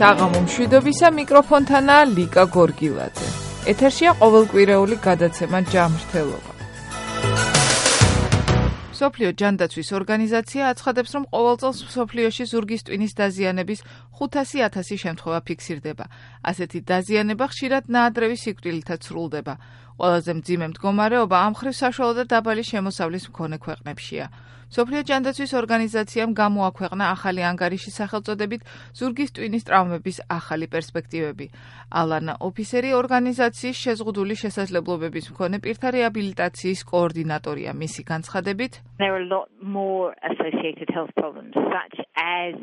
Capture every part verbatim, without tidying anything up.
საღამო მშვიდობისა მიკროფონთანაა ლიკა გორგილაძე. ეთერშია ყოველკვირეული გადაცემა ჯანმრთელობა. მსოფლიო ჯანდაცვის ორგანიზაცია აცხადებს, რომ ყოველ წელს მსოფლიოში ზურგის ტვინის დაზიანების ხუთასი ათასი შემთხვევა ფიქსირდება. ასეთი დაზიანება ხშირად ნაადრევი სიკვდილითაც სრულდება. ყველაზე მძიმე მდგომარეობა ამ მხრივ საშუალო და დაბალი შემოსავლის მქონე ქვეყნებშია. მსოფლიო ჯანდაცვის ორგანიზაციამ გამოაქვეყნა ახალი ანგარიში სახელწოდებით ზურგის ტვინის ტრავმების ახალი პერსპექტივები. ალანა ოფისერი ორგანიზაციის შეზღუდული შესაძლებლობების მქონე პირთა რეაბილიტაციის კოორდინატორია. მისი განცხადებით, There are a lot more associated health problems such as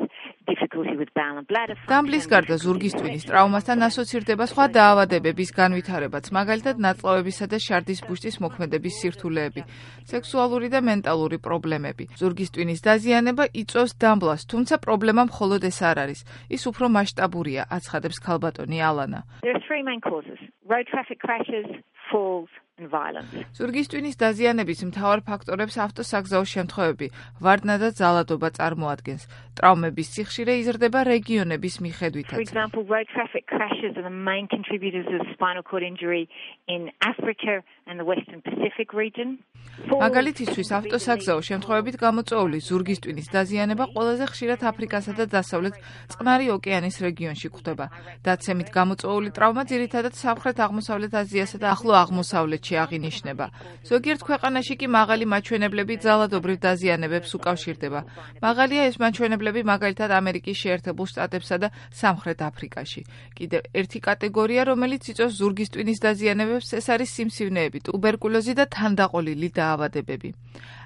difficulty with bowel and bladder function. დამბლის გარდა ზურგის ტვინის ტრავმასთან ასოცირდება სხვა დაავადებების განვითარებაც, მაგალითად ნაწლავებისა და შარდის ბუშტის მოქმედების სირთულეები, სექსუალური და მენტალური პრობლემები. ზურგის ტვინის დაზიანება იწვევს დამბლას, თუმცა პრობლემა მხოლოდ ეს არ არის. ის უფრო მასშტაბურია, აცხადებს ქალბატონი ალანა. There are three main causes: road traffic crashes, falls and violence. ზურგის ტვინის დაზიანების მთავარ ფაქტორებს ავტოსაგზაო შემთხვევები, ვარდნა და ძალადობა წარმოადგენს. ტრავმების სიხშირე იზრდება რეგიონების For მიხედვითაც. example, road traffic crashes are the main contributors of spinal cord injury in Africa and the Western Pacific region. მაგალითისთვის ავტოსაგზაო შემთხვევებით გამოწვეული ზურგის ტვინის დაზიანება ყველაზე ხშირად აფრიკასა და დასავლეთ წყნარი ოკეანის რეგიონში გვხვდება. დაცემით გამოწვეული ტრავმა ძირითადად სამხრეთ-აღმოსავლეთ აზიასა და ახლო აღმოსავლეთში აღინიშნება. ზოგიერთ ქვეყანაში კი მაღალი მაჩვენებლები ძალადობრივ დაზიანებებს უკავშირდება. მაღალია ეს მაჩვენებლები მაგალითად ამერიკის შეერთებულ შტატებსა და სამხრეთ აფრიკაში. კიდევ ერთი კატეგორია, რომელიც იწვევს ზურგის ტვინის დაზიანებებს, ეს არის სიმსივნეები, ტუბერკულოზი და თანდაყოლილი დაავადებები.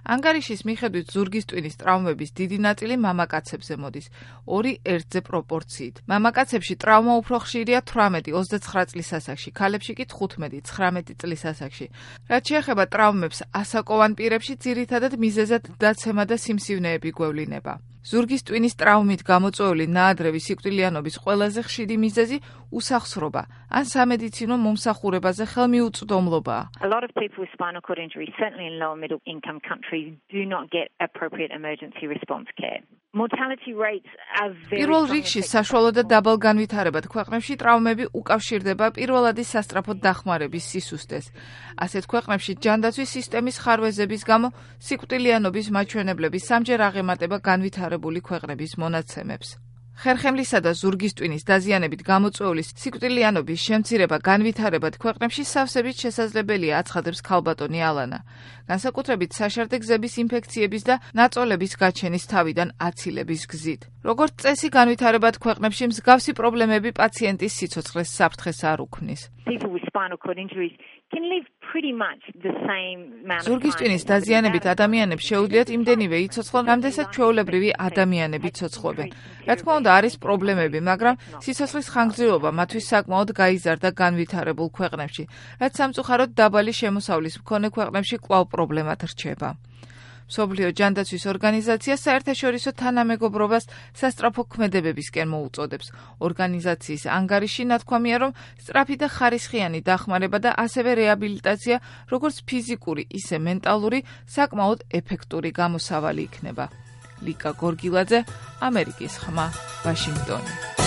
ანგარიშის მიხედვით ზურგის ტვინის ტრავმების დიდი ნაწილი მამაკაცებზე მოდის, ორი ერთზე პროპორციით. მამაკაცებში ტრავმა უფრო ხშირია თვრამეტი ოცდაცხრა წლის ასაკში, ქალებში კი თხუთმეტი ცხრამეტი წლის ასაკში. რაც შეეხება ტრავმებს ასაკოვან პირებში, ძირითადად მიზეზად დაცემა და სიმსივნეები გვევლინება. ზურგის ტვინის ტრავმით გამოწვეული ნაადრევი სიკვდილიანობის ყველაზე ხშირი მიზეზი უსახსრობა ან სამედიცინო მომსახურებაზე ხელმიუწვდომლობაა. A lot of people with spinal cord injury, certainly in lower middle income countries, do not get appropriate emergency response care. Mortality rates are very პირველ რიგში საშუალო და დაბალ განვითარებად ქვეყნებში ტრავმები უკავშირდება პირველადი სასწრაფო დახმარების სისუსტეს. ასეთ ქვეყნებში ჯანდაცვის სისტემის ხარვეზების გამო სიკვდილიანობის მაჩვენებლების სამჯერ აღემატება განვითარებული ქვეყნების მონაცემებს. ხერხემლისა და ზურგის ტვინის დაზიანებით გამოწვეული სიკვდილიანობის შემცირება განვითარებად ქვეყნებში სავსებით შესაძლებელია, აცხადებს ქალბატონი ალანა. განსაკუთრებით საშარდე გზების ინფექციების და ნაწოლების გაჩენის თავიდან აცილების გზით. როგორც წესი, განვითარებად ქვეყნებში მსგავსი პრობლემები პაციენტის სიცოცხლეს საფრთხეს არ უქმნის. People with spinal cord injuries can live pretty much the same amount of ზურგის ტვინის დაზიანებით ადამიანებს შეუძლიათ იმდენივე იცოცხლონ, რამდენსაც ჩვეულებრივი ადამიანები ცოცხლობენ. რა თქმა უნდა, არის პრობლემები, მაგრამ სიცოცხლის ხანგრძლივობა მათთვის საკმაოდ გაიზარდა განვითარებულ ქვეყნებში, რაც სამწუხაროდ დაბალი შემოსავლის მქონე ქვეყნებში კვლავ პრობლემად რჩება. მსოფლიო ჯანდაცვის ორგანიზაცია საერთაშორისო თანამეგობრობას სასწრაფო ქმედებებისკენ მოუწოდებს. ორგანიზაციის ანგარიში ნათქვამია, რომ სწრაფი და ხარისხიანი დახმარება და ასევე რეაბილიტაცია, როგორც ფიზიკური, ისე მენტალური, საკმაოდ ეფექტური გამოსავალი იქნება. ლიკა გორგილაძე, ამერიკის ხმა, ვაშინგტონი.